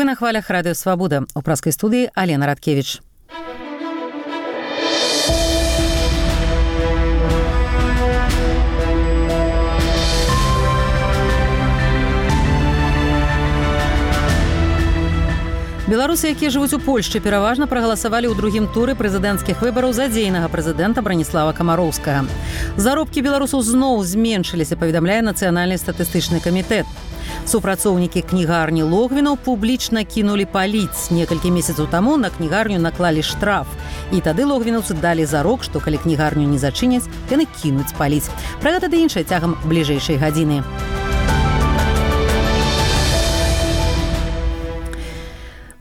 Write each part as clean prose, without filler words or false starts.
Вы на хвалях радыё Свабода. У праскай студыі Алена Радкевіч. Беларусы, якія жывуць у Польшчы, пераважна прагаласавалі ў другім туры прэзідэнцкіх выбараў за дзейнага прэзідэнта Браніслава Камароўскага. Заробкі беларусаў зноў зменшыліся, паведамляе Нацыянальны статыстычны камітэт. Супрацоўнікі кнігарні Логвінаў публічна кінулі паліць. Некалькі месяцаў таму на кнігарню наклалі штраф. І тады логвінаўцы далі зарок, што калі кнігарню не зачыняць, яны кінуць паліць. Пра гэта ды іншае цягам бліжэйшай гадзіны.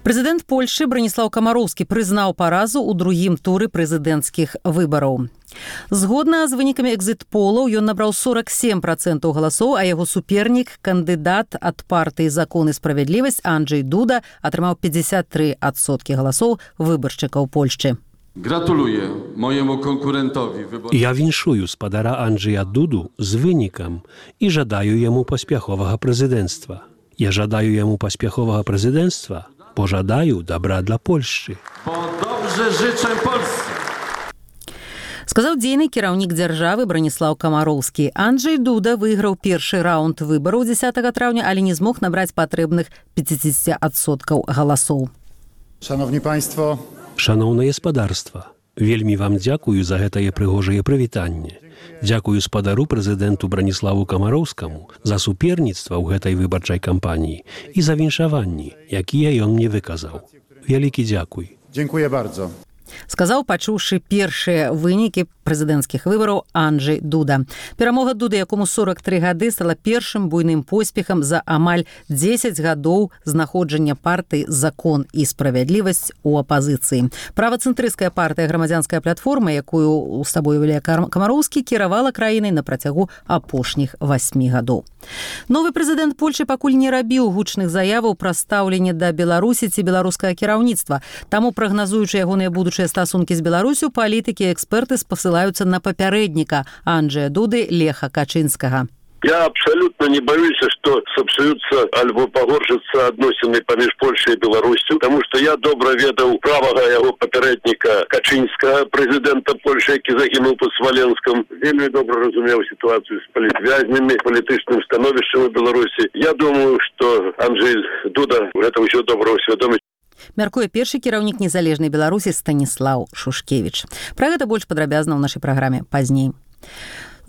Прэзідэнт Польшчы Браніслаў Камароўскі прызнаў паразу ў другім туры прэзідэнцкіх выбараў. Згодна з вынікамі экзіт-полаў, ён набраў 47% галасоў, а яго супернік, кандыдат ад партыі «Закон і справядлівасць» Анджэй Дуда атрымаў 53% галасоў выбаршчыкаў Польшчы. Gratuluję mojemu konkurentowi wyborczemu. Ja winszuję spadara Andrzeja Dudu z wynikiem i żadaję jemu pospiechowego prezydenctwa. Ja żadaję jemu pospiechowego prezydenctwa, bo żadaję dobra dla Polski. Bo dobrze życzę Polsce. Сказаў дзейны кіраўнік дзяржавы Браніслаў Камароўскі. Анджэй Дуда выйграў першы раунд выбараў 10 траўня, але не змог набраць патрэбных 50% галасоў. Szanowni Państwo, Шановне спадарства, вельмі вам дзякую за гэтае прыгожае прывітанне. Дзякую спадару прэзідэнту Браніславу Камароўскаму за суперніцтва ў гэтай выбарчай кампаніі і за віншаванні, якія ён мне выказаў. Вялікі дзякуй. dziękuję bardzo. Сказаў, пачуўшы першыя вынікі прэзідэнцкіх выбараў Анджэй Дуда. Перамога Дуды, якому 43 гады, стала першым буйным поспехам за амаль 10 гадоў знаходжання партыі «Закон і справядлівасць» у апазіцыі. Правацэнтрысцкая партыя «Грамадзянская платформа», якую з сабой уяўляе Камароўскі, кіравала краінай на працягу апошніх 8 гадоў. Новы прэзідэнт Польшчы пакуль не рабіў гучных заяваў пра стаўленне да Беларусі ці беларускага кіраўніцтва. Таму, прагназуючы ягоныя будучыя стасункі з Беларусю, палітыкі і эксперты спасылаюцца на папярэдніка Анджэя Дуды Леха Качынскага. Я абсолютно не боюсь, что сапсуются альбо погоршатся адносіны паміж Польшай і Беларусю, потому что я добра ведаў правага яго папярэдніка Качынскага, прэзідэнта Польши, які загінуў под Смоленском. Вельмі добра разумеў ситуацию с палітвязнямі, палітычным становішчам у Беларусі. Я думаю, что Анджэй Дуда гэта ўсё добра усвядоміць. Мяркуе першы кіраўнік незалежнай Беларусі Станіслаў Шушкевіч. Пра гэта больш падрабязна ў нашай праграме пазней.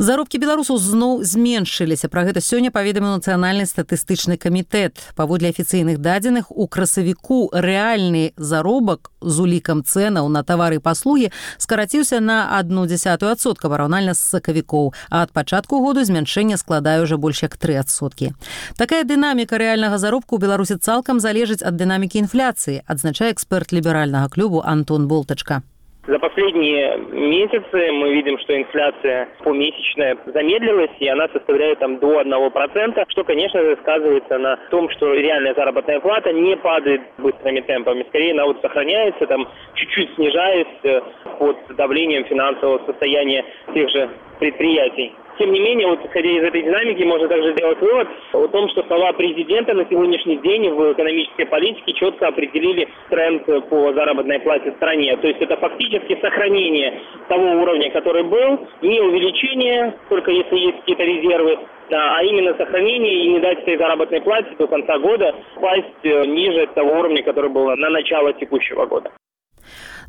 Заробкі беларусаў зноў зменшыліся. Пра гэта сёння паведаміў Нацыянальны статыстычны камітэт. Паводле афіцыйных дадзеных, у красавіку рэальны заробак з улікам цэнаў на тавары і паслугі скараціўся на 0,1% параўнальна з сакавікоў, а ад пачатку году змяншэнне складае ўжо больш як 3%. Такая дынаміка рэальнага заробку ў Беларусі цалкам залежыць ад дынамікі інфляцыі, адзначае эксперт ліберальнага клубу Антон Болтачка. За последние месяцы мы видим, что инфляция помесячная замедлилась, и она составляет до 1%, что, конечно же, сказывается на том, что реальная заработная плата не падает быстрыми темпами. Скорее, она сохраняется, чуть-чуть снижаясь под давлением финансового состояния тех же предприятий. Тем не менее, исходя из этой динамики, можно также сделать вывод о том, что слова президента на сегодняшний день в экономической политике четко определили тренд по заработной плате в стране. То есть это фактически сохранение того уровня, который был, не увеличение, только если есть какие-то резервы, а именно сохранение и не дать этой заработной плате до конца года упасть ниже того уровня, который был на начало текущего года.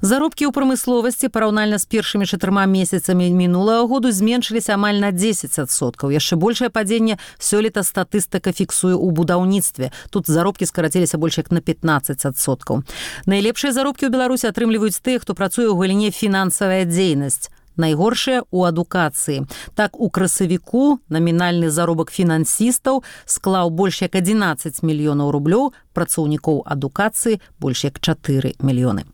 Заробкі ў прамысловасці параўнальна з першымі 4 месяцамі мінулага году зменшыліся амаль на 10%. Яшчэ большае падзенне сёлета статыстыка фіксуе ў будаўніцтве. Тут заробкі скараціліся больш як на 15%. Найлепшыя заробкі ў Беларусі атрымліваюць тыя, хто працуе ў галіне фінансавая дзейнасць. Найгоршая ў адукацыі. Так, у красавіку намінальны заробак фінансістаў склаў больш як 11 мільёнаў рублёў, працаўнікоў адукацыі больш як 4 мільёны.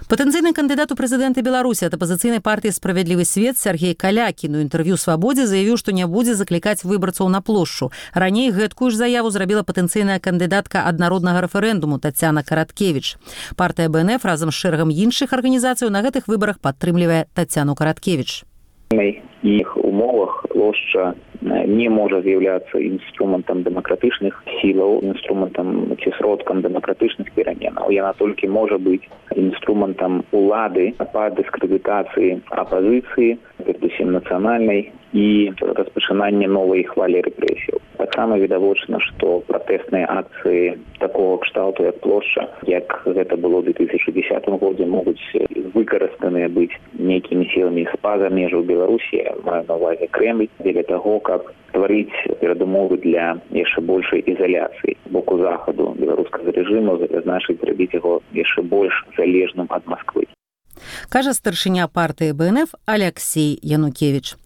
Патэнцыйны кандыдат у прэзідэнты Беларусі ад апазіцыйнай партыі «Справядлівы свет» Сергей Калякін у інтэрв'ю «Свабодзе» заявіў, што не будзе заклікаць выбарцаў на плошчу. Раней гэткую ж заяву зрабіла патэнцыйная кандыдатка ад народнага рэферэндуму Тацяна Караткевіч. Партыя БНФ разам з шэрагам іншых арганізацый на гэтых выбарах падтрымлівае Тацяну Караткевіч. В іх умовах плошча не можа з'яўляцца інструментам дэмакратычных сілаў, інструментам ці сродкам дэмакратычных пераменаў. Яна толькі можа быць інструментам улады па дыскрэдытацыі апазіцыі, перадусім нацыянальнай, і распачынання новай хвалі рэпрэсіяў. Таксама відавочна, што пратэсныя акцыі такого кшталту, як плошча, як гэта было ў 2010 годзе, могуць выкарыстаныя быць нейкімі сіламі з-па-за межаў Беларусі, маю на ўвазе Крэмль, дзеля таго, каб стварыць перадумовы для яшчэ большай ізаляцыі з боку захаду беларускага рэжыму, значыць зрабіць яго яшчэ больш залежным ад Масквы. Кажа старшыня партыі БНФ Алексей Янукевіч.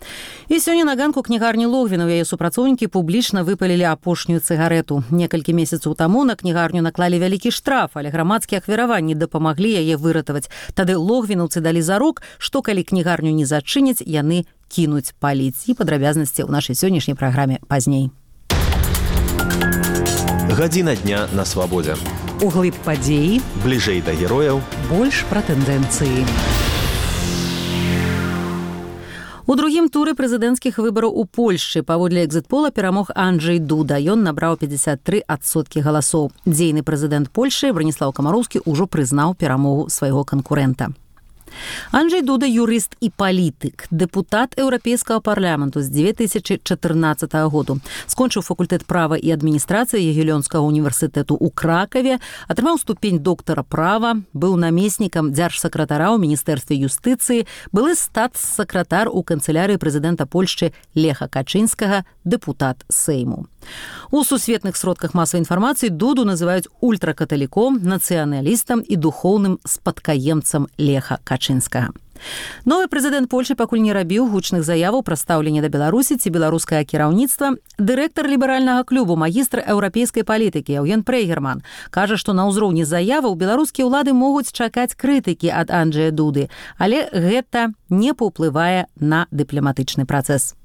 І сёння на ганку кнігарні Логвіна яе супрацоўнікі публічна выпалілі апошнюю цыгарету. Некалькі месяцаў таму на кнігарню наклалі вялікі штраф, але грамадскія ахвяраванні дапамаглі яе выратаваць. Тады логвінаўцы далі зарок, што калі кнігарню не зачыняць, яны кінуць паліць. І падрабязнасці ў нашай сённяшняй праграме пазней. Гадзіна дня на свабодзе. Углыб падзеі, бліжэй да герояў, больш пра тэндэнцыі. У другім туры прэзідэнцкіх выбараў у Польшчы паводле экзіт-пола перамог Анджэй Дуда. Ён набраў 53% галасоў. Дзейны прэзідэнт Польшчы Браніслаў Камароўскі ўжо прызнаў перамогу свайго канкурэнта. Анджэй Дуда – юрыст і палітык, дэпутат Еўрапейскага парламенту з 2014 году. Скончыў факультэт права і адміністрацыі Ягелёнскага універсітэту ў Кракаве, атрымаў ступень доктара права, быў намеснікам дзяржсакратара ў міністэрстве юстыцыі, былы статс-сакратар у канцылярыі прэзідэнта Польшчы Леха Качынскага, дэпутат Сейму. У сусветных сродках масавай інфармацыі Дуду называюць ультракаталіком, нацыяналістам і духоўным спадкаемцам Леха Качынскага. Новы прэзідэнт Польшчы пакуль не рабіў гучных заяваў пра стаўленне да Беларусі ці беларускае кіраўніцтва. Дырэктар ліберальнага клубу, магістр еўрапейскай палітыкі Яўген Прейгерман кажа, што на ўзроўні заяваў беларускія ўлады могуць чакаць крытыкі ад Анджэя Дуды, але гэта не паўплывае на дыпламатычны працэс.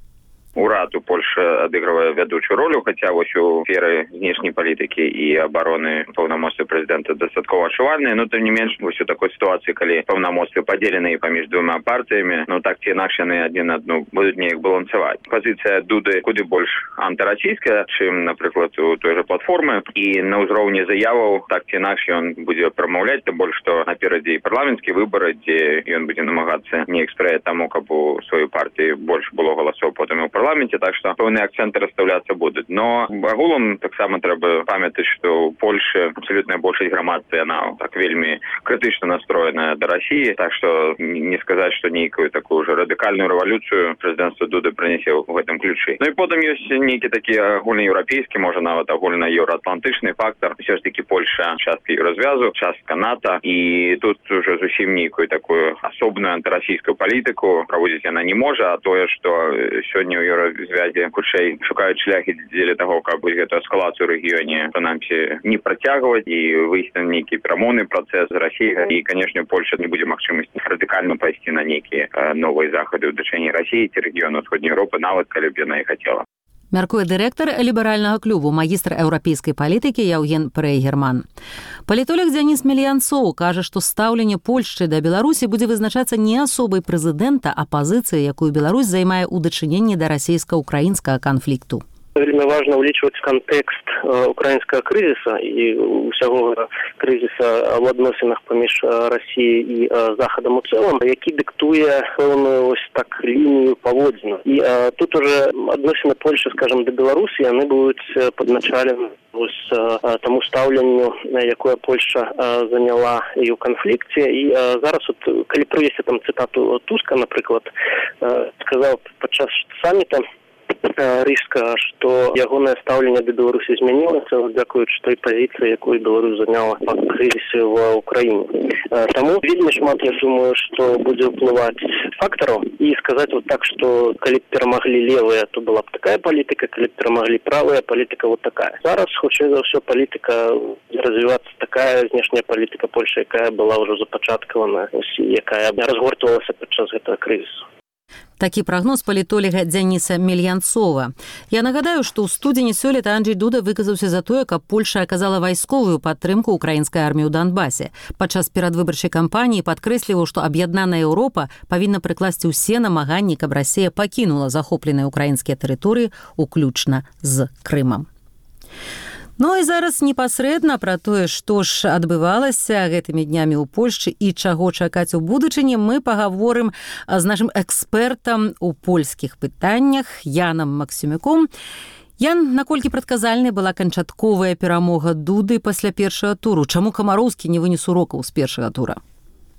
Урад у Польши адыгрывае вядучую ролю, хаця вось у сферы знешняй палітыкі і абароны паўнамоцтвы прэзідэнта дастаткова адчувальныя, но тым не менш вось у такой сітуацыі, калі паўнамоцтвы падзеленыя паміж двума партыямі, ну так ці інакш яны адзін адну будуць неяк балансаваць. Пазіцыя Дуды куды больш антырасійская, чым, напрыклад, у той жа платформы, і на ўзроўні заяваў так ці інакш ён будзе прамаўляць, тым больш што наперадзе і парламенцкія выбары, дзе ён будзе намагацца неяк спрыяць таму, каб у сваёй партыі больш было галасоў потым і ў парламенте, так што пэўныя акценты расстаўляцца будуць. Но агулам таксама трэба памятаць, што ў Польшы абсалютная большасць грамадства, яна так вельмі крытычна настроеная да Расіі, так што не сказаць, што нейкую такую ўжо радыкальную рэвалюцыю прэзідэнцтва Дуды прынясе ў гэтым ключы. Ну і потым ёсць нейкі такі агульнаеўрапейскі, можа нават агульнаеўраатлантычны фактар. Усё ж такі Польша частка Еўразвязу, частка НАТО, і тут уже зусім нейкую такую асобную антырасійскую палітыку праводзіць яна не можа, а тое, што сёння ў Еўразвязе хутчэй шукаюць шляхі дзеля таго, каб гэту эскалацыю ў рэгіёне прынамсі не працягваць і выйсці на нейкі перамоўны працэс з Расіяй. І, канешне, Польша не будзе магчымасці радыкальна пайсці на нейкія новыя захады ў дачыненні Расіі ці рэгіёну Усходняй Еўропы, нават калі б яна і хацела. Мяркуе дырэктар ліберальнага клубу, магістр еўрапейскай палітыкі Яўген Прейгерман. Палітолог Дзяніс Мельянцоў кажа, што стаўленне Польшчы да Беларусі будзе вызначацца не асобай прэзідэнта, а пазіцыяй, якую Беларусь займае ў дачыненні да расійска-украінскага канфлікту. Вельмі важна ўлічваць кантэкст украінскага крызіса і ўсяго крызіса ў адносінах паміж Расіяй і Захадам у цэлым, які дыктуе пэўную ось так лінію паводзін. І тут уже адносіны Польши, скажем, да Беларусі, яны будуць падначалены тому стаўленню, якое Польша заняла і ў канфлікце. І зараз, калі прывесці там цытату Туска, напрыклад, сказаў падчас саміта Рыжска, што ягонае стаўленне да Беларусі змянілася дзякуючы той пазіцыі, якую Беларусь заняла па крызісе ў Украіне. Таму вельмі шмат, я думаю, што будзе ўплываць фактараў. І сказаць вот так, што калі б перамаглі левыя, то была б такая палітыка, калі б перамаглі правая, палітыка вот такая. Зараз, хутчэй за ўсё, палітыка развівацца такая знешняя палітыка Польши, якая была ўжо запачаткавана, якая разгортвалася падчас гэтага крызісу. Такі прагноз палітолага Дзяніса Мельянцова. Я нагадаю, што ў студзені сёлета Анджэй Дуда выказаўся за тое, каб Польша аказала вайсковую падтрымку украінскай арміі ў Донбасе. Падчас перадвыбарчай кампаніі падкрэсліваў, што аб'яднаная Еўропа павінна прыкласці ўсе намаганні, каб Расія пакінула захопленыя украінскія тэрыторыі, уключна з Крымам. Ну і зараз непасрэдна пра тое, што ж адбывалася гэтымі днямі ў Польшчы і чаго чакаць у будучыні, мы пагаворым з нашым экспертам у польскіх пытаннях Янам Максімюком. Ян, наколькі прадказальнай была канчатковая перамога Дуды пасля першага туру? Чаму Камароўскі не вынес урокаў з першага тура?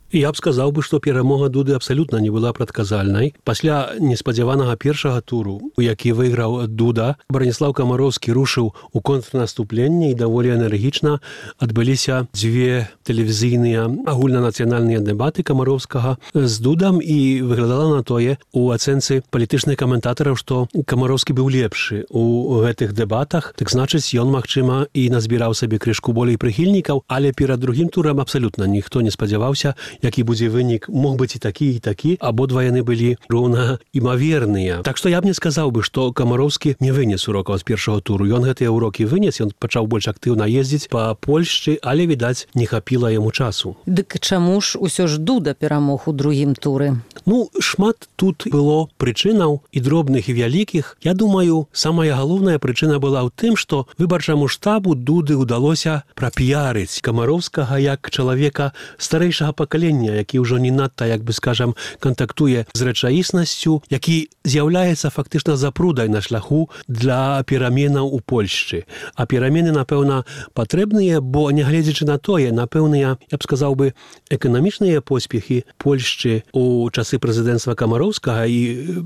Я б сказаў бы, што перамога Дуды абсалютна не была прадказальнай. Пасля неспадзяванага першага туру, у які выйграў Дуда, Браніслаў Камароўскі рушыў у контрнаступленне і даволі энергічна адбыліся дзве тэлевізійныя агульнанацыянальныя дэбаты Камароўскага з Дудам, і выглядала на тое у ацэнцы палітычных каментатараў, што Камароўскі быў лепшы у гэтых дэбатах, так значыць, ён, магчыма, і назбіраў сабе крышку болей прыхільнікаў, але перад другім турам абсалютна ніхто не спадзяваўся, які будзе вынік, мог быць і такі, абодва яны былі роўна імаверныя. Так што я б не сказаў бы, што Камароўскі не вынес урокаў з першага туру. Ён гэтыя урокі вынес, ён пачаў больш актыўна ездзіць па Польшчы, але, відаць, не хапіла яму часу. Дык чаму ж усё ж Дуда перамог у другім туры? Ну, шмат тут было прычынаў, і дробных, і вялікіх. Я думаю, самая галоўная прычына была ў тым, што выбарчаму штабу Дуды ўдалося прапіярыць Камароўскага як чалавека старэйшага пакалення, які ўжо не надта, як бы скажам, кантактуе з рэчаіснасцю, які з'яўляецца фактычна запрудай на шляху для пераменаў у Польшчы. А перамены, напэўна, патрэбныя, бо, нягледзячы на тое, напэўныя, я б сказаў бы, эканамічныя поспехі Польшчы у часы прэзідэнцтва Камароўскага і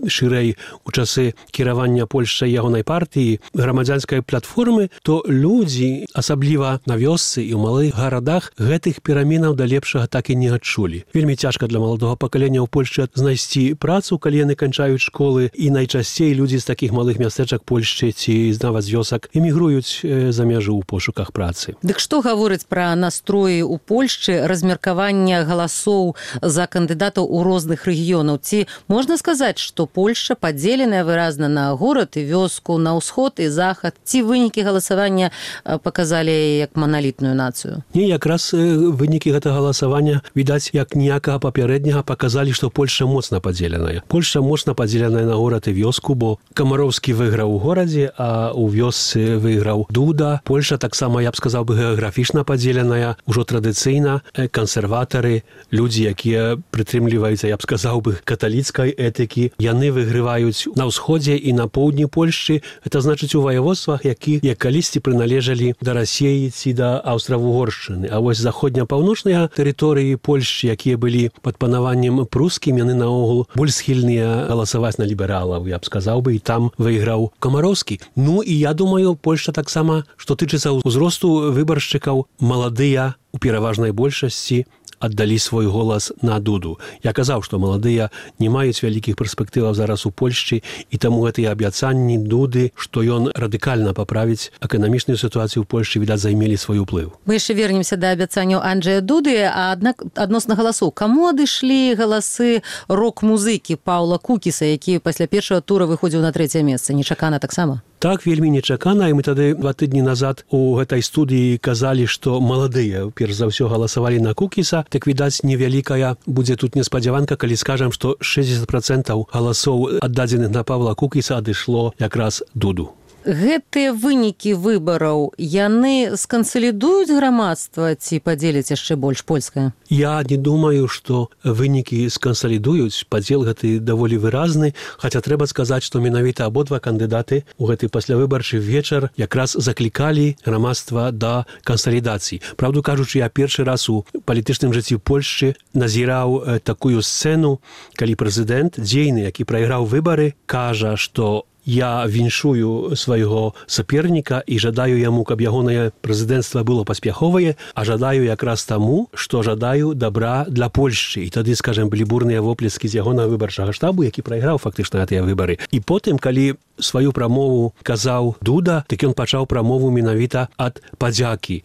шырэй у часы кіравання Польшчай ягонай партыі, грамадзянскай платформы, то людзі, асабліва на вёсцы і ў малых гарадах, гэтых пераменаў да лепшага так і не адчулі. Вельмі цяжка для маладога пакалення ў Польшчы знайсці працу, калі яны канчаюць школы, і найчасцей людзі з такіх малых мястэчак Польшчы ці нават з вёсак эмігруюць за мяжу ў пошуках працы. Дык што гаворыць пра настроі ў Польшчы, размеркавання галасоў за кандыдатаў у розных рэгіёнаў? Ці можна сказаць, што Польшча падзеленая выразна на горад і вёску, на ўсход і захад? Ці вынікі галасавання паказалі як маналітную нацыю? Не, якраз вынікі гэтага галасавання, відаць, як ніякага папярэдняга, паказалі, што Польшча моцна падзеленая. Польшча моцна падзеленая на горад і вёску, бо Камароўскі выйграў у горадзе, а ў вёсцы выйграў Дуда. Польшча таксама, я б сказаў бы, геаграфічна падзеленая. Ужо традыцыйна кансерватары, людзі, якія прытрымліваюцца, я б сказаў бы, каталіцкай этыкі, яны выйгрываюць на ўсходзе і на поўдні Польшчы. Гэта значыць у ваяводствах, як калісьці прыналежалі да Расіі ці да Аўстра-Вугоршчыны. А вось заходня-паўночныя тэрыторыі Польшчы, якія былі пад панаваннем прускім, яны наогул больш схільныя галасаваць на лібералаў, я б сказаў бы, і там выйграў Камароўскі. Ну і я думаю, Польшча таксама, што тычыцца ўзросту выбаршчыкаў, маладыя у пераважнай большасці аддалі свой голас на Дуду. Я казаў, што маладыя не маюць вялікіх перспектываў зараз у Польшчы, і таму гэтыя абяцанні Дуды, што ён радыкальна паправіць эканамічную сітуацыю ў Польшчы, відаць, займелі свой уплыў. Мы яшчэ вернемся да абяцанняў Анджэя Дуды, а аднак адносна галасоў. Каму адышлі галасы рок-музыкі Паўла Кукіса, які пасля першага тура выходзіў на 3-е месца? Нечакана таксама? Так, вельмі нечакана, і мы тады 2 тыдні назад у гэтай студыі казалі, што маладыя, перш за ўсё, галасавалі на Кукіса. Так, відаць, невялікая будзе тут неспадзяванка, калі скажам, што 60% галасоў, аддадзеных на Павла Кукіса, адышло якраз Дуду. Гэтыя вынікі выбараў, яны скансалідуюць грамадства ці падзеляць яшчэ больш польскае? Я не думаю, што вынікі скансалідуюць. Падзел гэты даволі выразны, хаця трэба сказаць, што менавіта абодва кандыдаты ў гэты паслявыбарчы вечар якраз заклікалі грамадства да кансалідацыі. Праўду кажучы, я першы раз у палітычным жыцці Польшчы назіраў такую сцэну, калі прэзідэнт дзейны, які прайграў выбары, кажа, што я віншую свайго саперніка і жадаю яму, каб ягонае прэзідэнцтва было паспяховае, а жадаю якраз таму, што жадаю добра для Польшчы. І тады, скажем, былі бурныя воплескі з ягонага выбарчага штабу, які прайграў фактычна гэтыя выбары. І потым, калі сваю прамову казаў Дуда, так ён пачаў прамову менавіта ад падзякі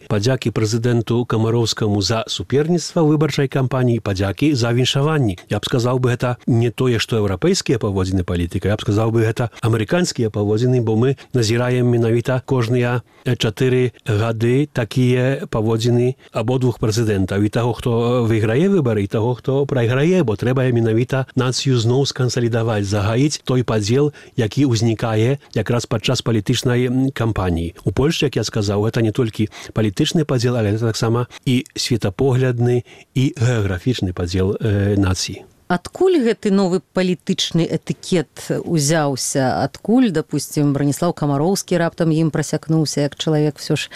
прэзідэнту Камароўскаму за суперніцтва выбарчай кампаніі, падзякі за віншаванні. Я б сказаў бы, гэта не тое, што еўрапейскія паводзіны палітыка, я б сказаў бы, гэта амерыканскія паводзіны, бо мы назіраем менавіта кожныя 4 гады такія паводзіны абодвух прэзідэнтаў, і таго, хто выйграе выбары, і таго, хто прайграе, бо трэба менавіта нацыю зноў скансалідаваць, загаіць той падзел, які ўзнікае якраз падчас палітычнай кампаніі. У Польшчы, як я сказаў, гэта не толькі палітычны падзел, але гэта таксама і светапоглядны, і геаграфічны падзел нацыі. Адкуль гэты новы палітычны этыкет узяўся? Адкуль, допустим, Браніслаў Камароўскі раптам ім прасякнуўся, як чалавек ўсё ж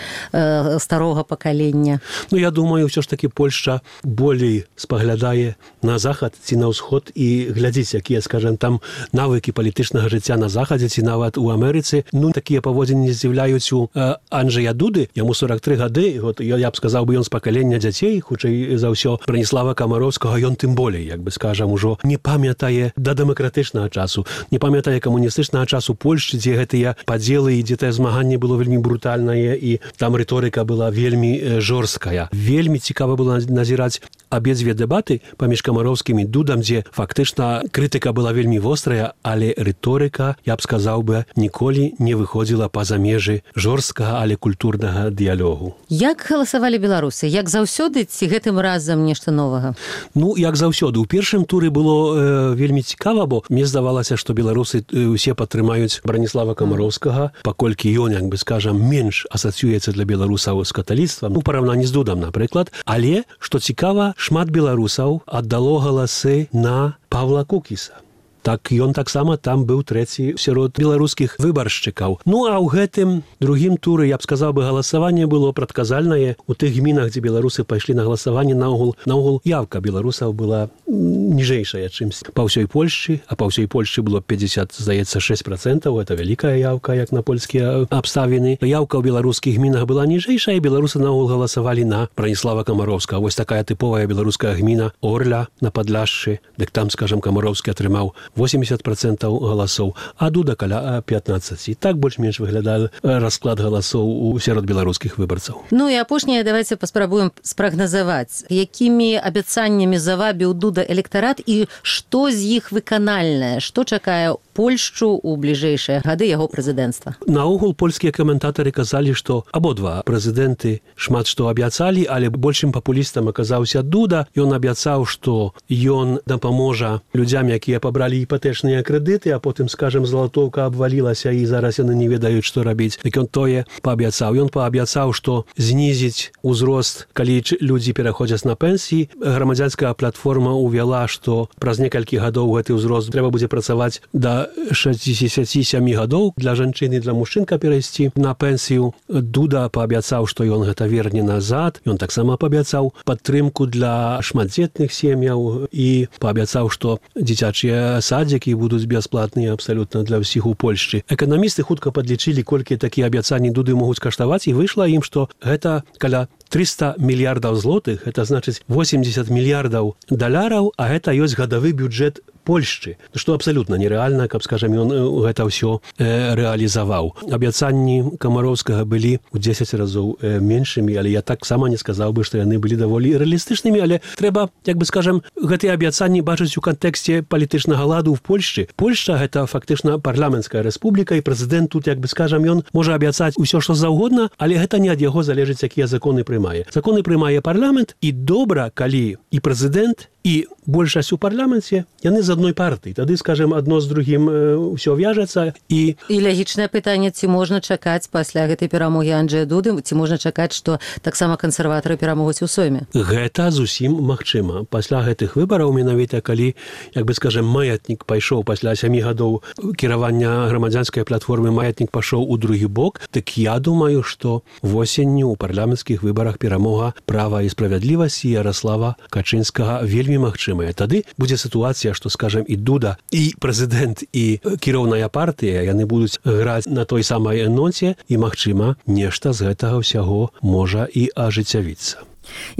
старога пакалення? Я думаю, ўсё ж такі Польшча болей спаглядае на захад ці на ўсход і глядзіць, якія, скажем, там навыкі палітычнага жыцця на захадзе ці нават у Амерыцы. Такія паводзіны не здзіўляюць у Анджэя Дуды, яму 43 гады, я б сказаў бы, ён з пакалення дзяцей, хутчэй за ўсё Браніслава Камароўскага, ён тым болей, як бы скажам, ужо не памятае да дэмакратычнага часу, не памятае камуністычнага часу Польшчы, дзе гэтыя падзелы і дзе тае змаганне было вельмі брутальнае, і там рыторыка была вельмі жорсткая. Вельмі цікава было назіраць абедзве дэбаты паміж Камароўскім і Дудам, дзе фактычна крытыка была вельмі вострая, але рыторыка, я б сказаў бы, ніколі не выходзіла па-за межы жорсткага, але культурнага дыялогу. Як галасавалі беларусы? Як заўсёды ці гэтым разам нешта новага? Як заўсёды. У першым туры было вельмі цікава, бо мне здавалася, што беларусы усе падтрымаюць Браніслава Камароўскага, паколькі ён, як бы скажам, менш асацыюецца для беларусаў з каталіцтвам, у параўнанні з Дудам, напрыклад. Але, што цікава, шмат беларусаў аддало галасы на Павла Кукіса. Так ён таксама там быў трэці сярод беларускіх выбаршчыкаў. А ў гэтым другім туры, я б сказаў бы, галасаванне было прадказальнае. У тых гмінах, дзе беларусы пайшлі на галасаванне, наогул явка беларусаў была ніжэйшая, чымсь па ўсёй Польшчы, а па ўсёй Польшчы было 50, здаецца, 6%, это вялікая явка, як на польскія абставіны. Явка ў беларускіх гмінах была ніжэйшая, і беларусы наогул галасавалі на Браніслава Камароўскага. Вось такая тыповая беларуская гміна Орля на Падляшшы, дык там, скажам, Камароўскі атрымаў 80% галасоў, а Дуда каля 15%. Так больш-менш выглядае расклад галасоў сярод беларускіх выбарцаў. І апошняе, давайте паспрабуем спрагназаваць, якімі абяцаннямі завабіў Дуда электарат і што з іх выканальнае, што чакае Польшчу ў бліжэйшыя гады яго прэзідэнцтва? Наогул польскія каментатары казалі, што абодва прэзідэнты шмат што абяцалі, але большым папулістам аказаўся Дуда. Ён абяцаў, што ён дапаможа людзям, якія пабралі іпатэчныя крэдыты, а потым, скажем, залатоўка абвалілася і зараз яны не ведаюць, што рабіць. Так ён тое паабяцаў. Ён паабяцаў, што знізіць узрост, калі людзі пераходзяць на пенсіі. Грамадзянская платформа увяла, што праз некалькі гадоў гэты ўзрост трэба будзе працаваць да 67 гадоў для жанчын і для мужчын, каб перайсці на пенсію. Дуда паабяцаў, што ён гэта верне назад. Ён таксама паабяцаў падтрымку для шматдзетных сем'яў і паабяцаў, што дзіцячыя садзікі будуць бясплатныя абсалютна для ўсіх у Польшчы. Эканамісты хутка падлічылі, колькі такія абяцанні Дуды могуць каштаваць, і выйшла ім, што гэта каля 300 мільярдаў злотых, это значыць 80 мільярдаў даляраў, а гэта ёсць гадавы бюджэт Польшчы, што абсалютна нерэальна, каб, скажам, ён гэта ўсё рэалізаваў. Абяцанні Камароўскага былі ў 10 разоў меншымі, але я таксама не сказаў бы, што яны былі даволі рэалістычнымі, але трэба, як бы скажам, гэтыя абяцанні бачыць у кантэксце палітычнага ладу ў Польшчы. Польшча гэта фактычна парламенцкая рэспубліка, і прэзідэнт тут, як бы скажам, ён можа абяцаць усё, што заўгодна, але гэта не ад яго залежыць, якія законы прымае. Законы прымае парламент, і добра, калі і прэзідэнт, і большасць у парламенце, яны з адной партыі. Тады, скажем, адно з другім ўсё вяжацца. І лагічнае пытанне, ці можна чакаць пасля гэтай перамогі Анджэя Дуды, ці можна чакаць, што таксама кансерватары перамогуць у Сойме? Гэта зусім магчыма. Пасля гэтых выбараў, менавіта калі, як бы скажем, маятнік пайшоў пасля 7 гадоў кіравання грамадзянскай платформы, маятнік пашоў у другі бок, так я думаю, што восенню ў парламенцкіх выбарах перамога Права і справядлівасці Ярослава Качынскага вельмі магчымая. Тады будзе сітуацыя, што, скажем, і Дуда, і прэзідэнт, і кіроўная партыя, яны будуць граць на той самай ноце, і, магчыма, нешта з гэтага ўсяго можа і ажыццявіцца.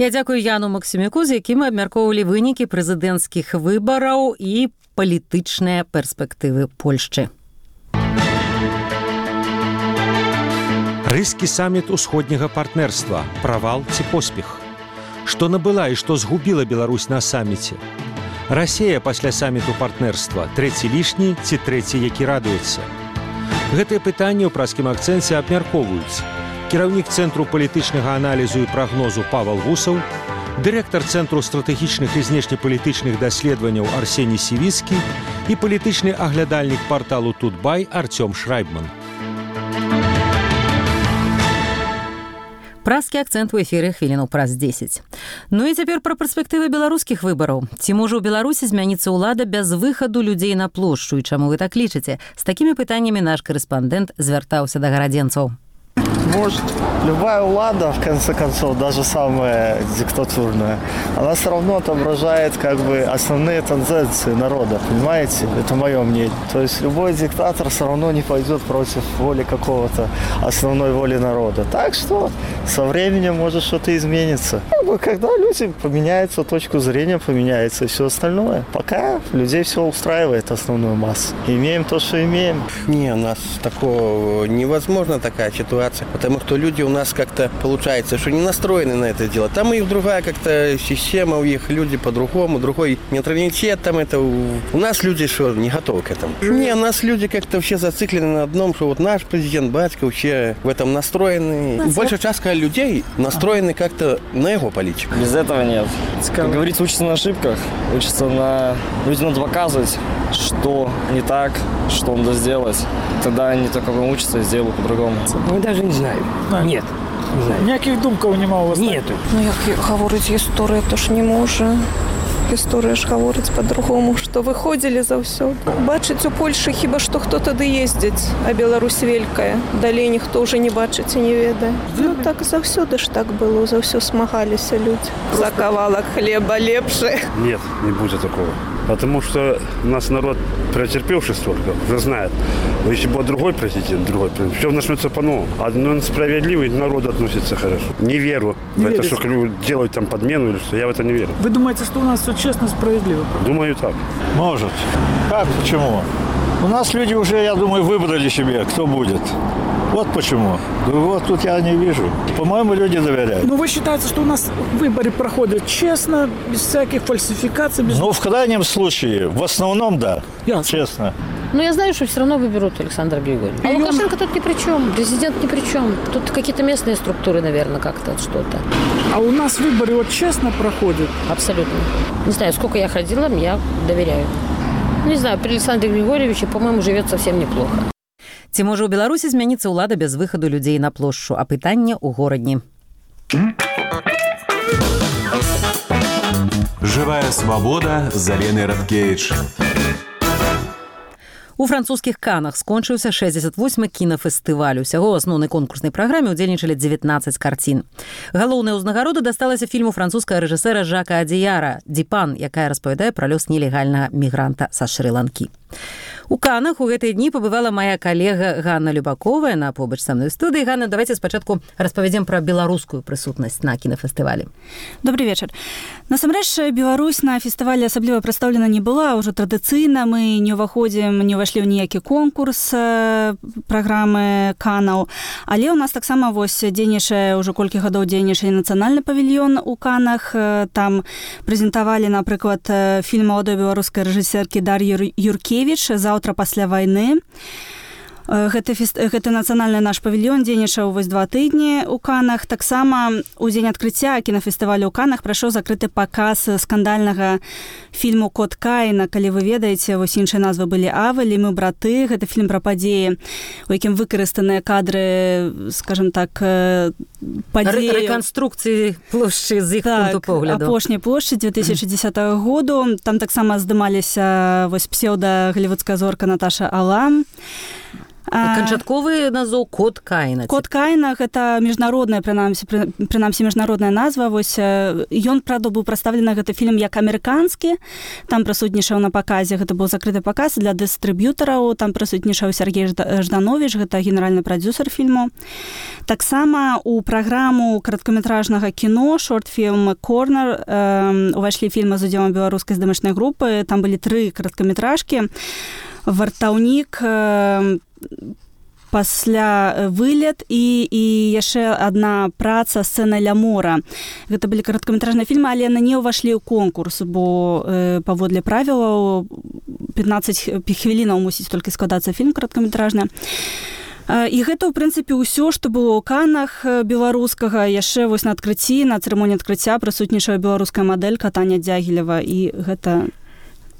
Я дзякую Яну Максімюку, з якім мы абмяркоўвалі вынікі прэзідэнцкіх выбараў і палітычныя перспектывы Польшчы. Рыскі саміт усходняга партнерства. Правал ці поспех? Што набыла і што згубіла Беларусь на саміце? Расія пасля саміту партнерства. Трэці лішні ці трэці, які радуецца? Гэтыя пытанні ў праскім акцэнце абмяркоўваюць кіраўнік Цэнтру палітычнага аналізу і прагнозу Павел Вусаў, дырэктар Цэнтру стратэгічных і знешнепалітычных даследаванняў Арсеній Сівіцкі і палітычны аглядальнік парталу Тутбай Артём Шрайбман. Праскі акцэнт у эфіры хвілінаў праз 10. Ну і цяпер пра перспектывы беларускіх выбараў. Ці можа ў Беларусі змяніцца ўлада без выхаду людзей на плошчу? І чаму вы так лічыце? З такімі пытаннямі наш корэспандэнт звяртаўся да гарадзенцаў. Может, любая влада, в конце концов, даже самая диктатурная, она все равно отображает как бы основные тенденции народа, понимаете? Это мое мнение. То есть любой диктатор все равно не пойдет против воли какого-то основной воли народа. Так что со временем может что-то измениться. Когда люди поменяются, точку зрения поменяется и все остальное. Пока людей все устраивает основную массу. Имеем то, что имеем. Не, у нас такого невозможно такая ситуация. Потому что люди у нас как-то, получается, что не настроены на это дело. Там и другая как-то система у них, люди по-другому, другой менталитет там это. У нас люди что, не готовы к этому. Не, у нас люди как-то вообще зациклены на одном, что вот наш президент, батька вообще в этом настроены. Большая часть людей настроены как-то на его политику. Без этого нет. Как говорится, учатся на ошибках, учатся на... Людям надо показывать, что не так, что надо сделать. Тогда они только учатся и сделают по-другому. Мы даже не знаем. Нет. Не знаю. Ніяких думків нема у вас? Нету. Ну як говорить історія, то ж не може. Історія ж говорить по-другому, що виходили заўсёды. Бачыць у Польшы хіба што хто тады ездзіць, а Беларусь вялікая. Далей ніхто ўжо не бачыць і не ведае. Ну так заўсёды ж так было, за ўсё смагаліся людзі. За кавалак хлеба лепшы. Нет, не будет такого. Потому что у нас народ претерпевший столько, уже знает. Но если будет другой президент, все начнется по-новому. А справедливый народ относится хорошо. Не верю в это, что делают там подмену или что. Я в это не верю. Вы думаете, что у нас все честно, справедливо? Думаю, так. Может. Как? Почему? У нас люди уже, я думаю, выбрали себе, кто будет. Вот почему. Вот тут я не вижу. По-моему, люди доверяют. Ну, вы считаете, что у нас выборы проходят честно, без всяких фальсификаций? Без... Ну, в крайнем случае, в основном, да. Ясно. Честно. Но я знаю, что все равно выберут Александра Григорьевича. А Лукашенко тут ни при чем, президент ни при чем. Тут какие-то местные структуры, наверное, как-то что-то. А у нас выборы вот честно проходят? Абсолютно. Не знаю, сколько я ходила, я доверяю. Не знаю, при Александре Григорьевиче, по-моему, живет совсем неплохо. Ці можа ў Беларусі змяніцца ўлада без выхаду людзей на плошчу, а пытанне ў горадні. Живая свобода з Аленай Радкевіч. У французскіх Канах скончыўся 68-й кінафестываль. Усяго ў асноўнай конкурснай праграме ўдзельнічалі 19 карцін. Галоўная ўзнагарода дасталася фільму французскага рэжысэра Жака Адзіяра «Дипан», якая распавядае пра лёс нелегальнага мігранта са Шры-Ланкі. У Канах у гэтыя дні пабывала моя калега Ганна Любаковая на побач са мной студыі. Ганна, давайте спачатку распавядзем пра беларускую прысутнасць на кінафестывалі. Добрый вечар. Насамрэч, Беларусь на фестывалі асабліва прадстаўлена не была. Ўжо традыцыйна мы не ўвашлі ў ніякі конкурс праграмы Канаў. Але ў нас таксама дзейнічае, ўжо колькі гадоў дзейнічае нацыянальны павільён у Канах. Там прэзентавалі, напрыклад, фільм маладой беларускай рэжысэркі Дар'і Юркевіч «Заўтра пасля вайны». Гэты нацыянальны наш павільён дзейнічаў 2 тыдні ў Канах. Таксама у дзень адкрыцця кінафестывалю ў Канах прайшоў закрыты паказ скандальнага фільму «Кот Каіна». Калі вы ведаеце, іншыя назвы былі «Авель» і «Мы браты». Гэта фільм пра падзеі, у якім выкарыстаныя кадры, скажем так, падзеі... Рэканструкцыі плошчы з іх пункту погляду. Апошняй плошчы 2010 году. Там таксама здымаліся псеўда-голливудская зорка Наташа Алам. Канчатковы назоў «Кот Каіна». «Кот Каіна» – гэта міжнародная, прынамсі, міжнародная назва. Ён, правда, быў прадстаўлены гэты фільм як амерыканскі. Там прысутнічаў на паказе. Гэта быў закрыты паказ для дыстрыб'ютараў. Там прысутнічаў Сергей Жданович, гэта генеральны прадзюсар фільму. Таксама у праграму кароткаметражнага кіно «Шорт-фільм Корнер» увайшлі фільмы з удзелам беларускай здымачнай групы. Там былі 3 кароткаметражкі. «Вартаўнік», пасля вылет і яшчэ адна праца сцэна ля мора. Гэта былі кароткаметражныя фільмы, але яны не ўвайшлі ў конкурс, бо паводле правілаў 15 хвілінаў мусіць толькі складацца фільм кароткаметражны. І гэта, ў прынцыпе, ўсё, што было ў Каннах беларускага. Яшчэ вось на адкрыцці, на цырымоніі адкрыцця прысутнічае беларуская мадэлька Таня Дзягілева, і гэта...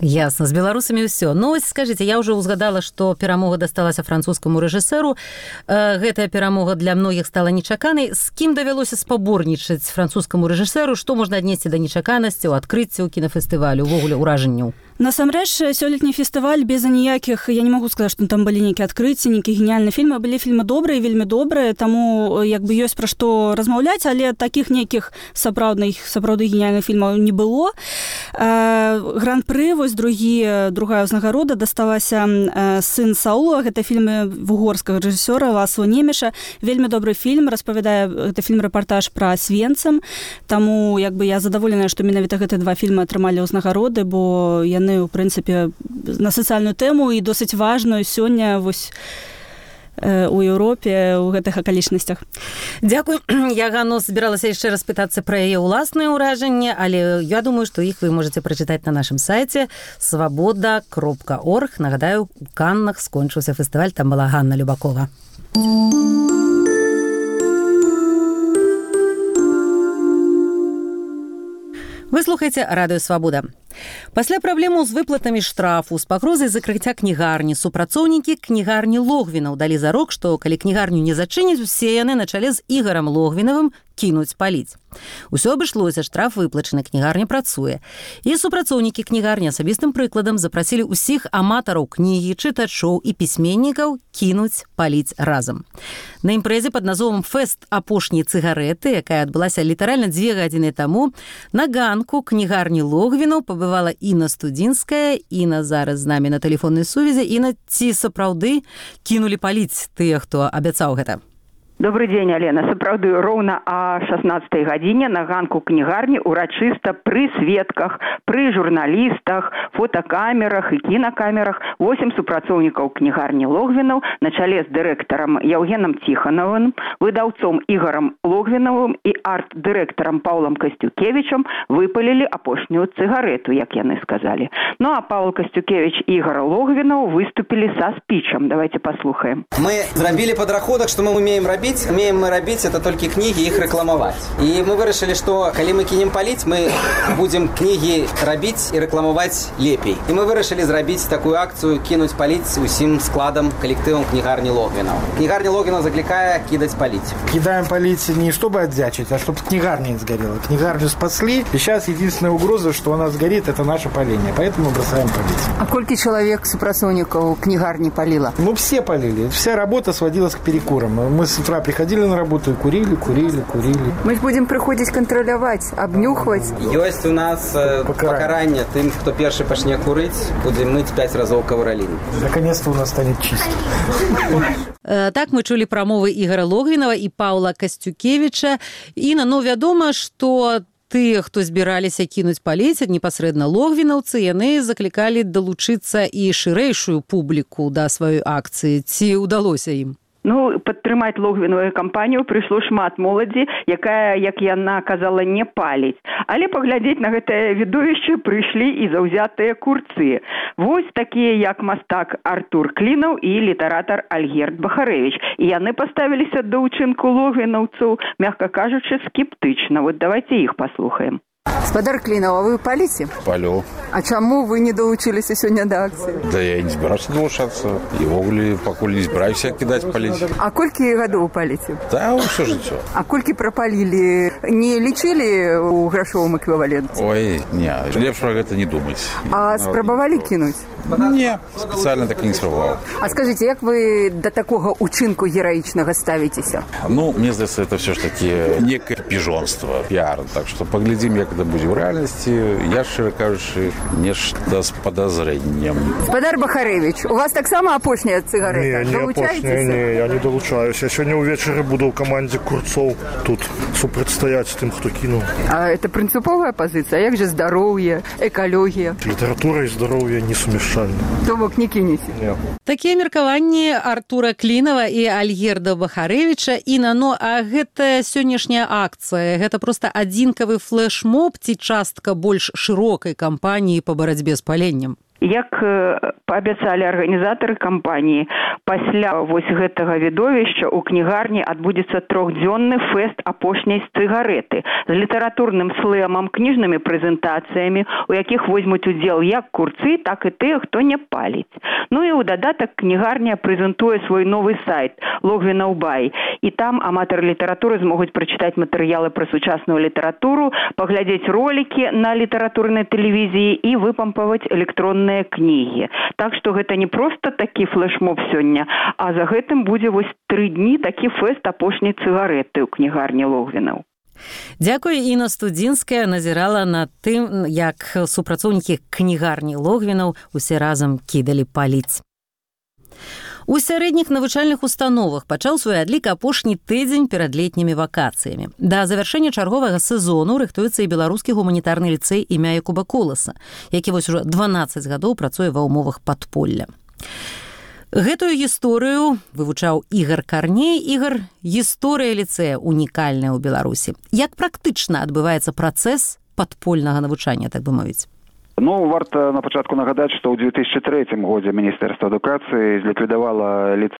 Ясно, з беларусамі ўсё. Ну, ось скажыце, я ўжо ўзгадала, што перамога дасталася французскаму рэжысэру. Гэтая перамога для многіх стала нечаканай. З кім давялося спаборнічаць французскаму рэжысэру? Што можна аднесці да нечаканасці ў адкрыцці ў кінафестывалю, увогуле ўражанняў? Насамрэч, сёлетні фестываль без аніякіх, я не магу сказаць, што там былі нейкія адкрыцці, нейкія геніяльныя фільмы, былі фільмы добрыя, вельмі добрыя, таму як бы ёсць пра што размаўляць, але такіх нейкіх сапраўды геніяльных фільмаў не было. Гран-пры, вось другая ўзнагарода дасталася «Сын Саула», гэта фільм вугорскага рэжысёра Ласло Немеша. Вельмі добры фільм, распавядае, гэта фільм-рэпартаж пра Освенцим, таму як бы я задаволеная, што менавіта гэтыя два фільмы атрымалі ўзнагароды, бо яны у прынцыпе на сацыяльную тэму і досыць важную сёння вось у Еўропе ў гэтых акалічнасцях. Дзякуй. Я, Ганну, збіралася яшчэ раз пытацца пра яе ўласныя ўражанні, але я думаю, што іх вы можаце прачытаць на нашым сайце svaboda.org. Нагадаю, у Каннах скончыўся фестываль, там была Ганна Любакова. Вы слухаеце Радыё Свабода. Пасля праблемаў з выплатамі штрафу, з пагрозай закрыцця кнігарні, супрацоўнікі кнігарні Логвінаў далі зарок, што калі кнігарню не зачыняць, усе яны на чале з Ігарам Логвінавым кінуць паліць. Усё абышлося, штраф выплачаны, кнігарня працуе. І супрацоўнікі кнігарні асабістым прыкладам запрасілі ўсіх аматараў кнігі, чытачоў і пісьменнікаў кінуць паліць разам. На імпрэзе пад назвом «Фэст апошняй цыгарэты», якая адбылася літаральна 2 гадзіны таму, на ганку кнігарні Логвінаў пабывала Інна Студзінская. Інна зараз з намі на тэлефоннай сувязі. Інна, ці сапраўды кінулі паліць тыя, хто абяцаў гэта? Добрый дзень, Алена. Сапраўды, роўна о 16-й гадзіне на ганку кнігарні урачыста пры сведках, пры журналістах, фотокамерах і кінакамерах 8 супрацоўнікаў кнігарні Логвінаў на чале з дырэктарам Яўгенам Ціханавым, выдаўцом Ігарам Логвінавым і арт-дырэктарам Паўлам Касцюкевічам выпалілі апошнюю цыгарэту, як яны сказалі. Ну а Павел Касцюкевич і Ігар Логвінаў выступілі са спічам. Давайте паслухаем. Мы зрабілі падрахунак, што мы умеем рабіць. Умеем мы рабіць это толькі кнігі, іх рэкламаваць. І мы вырашылі, што калі мы кінем паліць, мы будзем кнігі рабіць і рэкламаваць лепей. І мы вырашылі зрабіць такую акцыю кінуць паліць усім складам, калектывам кнігарні Логвінаў. Кнігарня Логвінаў заклікае кідаць паліць. Кидаем палить не чтобы отдячить, а чтобы книгарня не сгорела. Книгарню спасли, и сейчас единственная угроза, что она сгорит, это наше паление. Поэтому мы бросаем палить. А сколько человек супрацоўнікаў кнігарні паліла? Ну, все полили. Вся работа сводилась к перекурам. Мы с утра приходили на работу и курили. Мы будем приходить контролировать, обнюхивать. Есть у нас покарание тем, кто первый пачне курить, будем мыть 5 разов ковролин. Наконец-то у нас станет чисто. Так мы чулі прамовы Ігара Логвінава і Паўла Касцюкевіча. Інна, ну, вядома, што тыя, хто збіраліся кінуць паліць, непасрэдна логвінаўцы, яны заклікалі далучыцца і шырэйшую публіку да сваёй акцыі. Ці ўдалося ім? Ну, падтрымаць Логвінавую кампанію прыйшло шмат моладзі, якая, як яна казала, не паліць. Але паглядзець на гэтае відовішча прыйшлі і заўзятыя курцы. Вось такія, як мастак Артур Клінаў і літаратар Альгерд Бахарэвіч. І яны паставіліся да ўчынку логвінаўцаў, мягка кажучы, скептычна. Вот давайте іх паслухаем. Спадар Клінаў, а вы паліце? Палю. А чаму вы не далучыліся сёння да акцыі? Да я не збіраўся далучацца. І ввогуле пакуль не збіраюся кідаць паліць. А колькі гадоў паліце? Да, ўсё жыццё. А колькі прапалілі? Не лічылі ў грашовым эквіваленце? Ой, не, лепш пра гэта не думаць. А спрабавалі кінуць? Не, спецыяльна так і не спрабаваў. А скажыце, як вы да такога ўчынку гераічнага ставіцеся? Ну, мне здаецца, это все ж таки некае піжонства, піар. Так што паглядзім, як гэта будзе ў рэальнасці, я, шчыра кажучы, нешта з падазрэннем. Спадар Бахарэвіч, у вас таксама апошняя цыгарэта? Не апошняя, не, я не далучаюся. Я сёння ўвечары буду ў камандзе курцоў тут супрацьстаяць тым, хто кінуў. А это прынцыповая пазіцыя? А як жа здароўе, экалогія? Літаратура і здароўе несумяшчальны. То бок не кінеце? Не. Такія меркаванні Артура Клінава і Альгерда Бахарэвіча. Іна, ну, а гэта сённяшняя акцыя, гэта проста адзінкавы флэш-моб ці частка больш шырокай кампаніі па барацьбе з паленнем? Як паабяцалі арганізатары кампаніі, пасля вось гэтага відовішча ў кнігарні адбудзецца 3-дзённы фэст апошняй цыгарэты з літаратурным слэмам, кніжнымі прэзентацыямі, у якіх возьмуць удзел як курцы, так і тыя, хто не паліць. Ну і ў дадатак кнігарня прэзентуе свой новы сайт Логвінаў Бай, і там аматары літаратуры змогуць прачытаць матэрыялы пра сучасную літаратуру, паглядзець ролікі на літаратурнай тэлевізіі і выпампаваць электронныя кнігі. Так што гэта не проста такі флэш-моб сёння, а за гэтым будзе вось 3 дні такі фэст апошняй цыгарэты ў кнігарні Логвінаў. Дзякуй, Іна Студзінская назірала над тым, як супрацоўнікі кнігарні Логвінаў усе разам кідалі паліць. У сярэдніх навучальных установах пачаў свой адлік апошні тыдзень перад летнімі вакацыямі. Да завяршэння чарговага сезону рыхтуецца і беларускі гуманітарны ліцэй імя Якуба Коласа, які вось ужо 12 гадоў працуе ва ўмовах падполля. Гэтую гісторыю вывучаў Ігар Карней. Ігар, гісторыя ліцэя унікальная ў Беларусі. Як практычна адбываецца працэс падпольнага навучання, так бы мовіць? Ну, варта на пачатку нагадаць, што ў 2003 годзе Міністэрства адукацыі зліквідавала ліцэй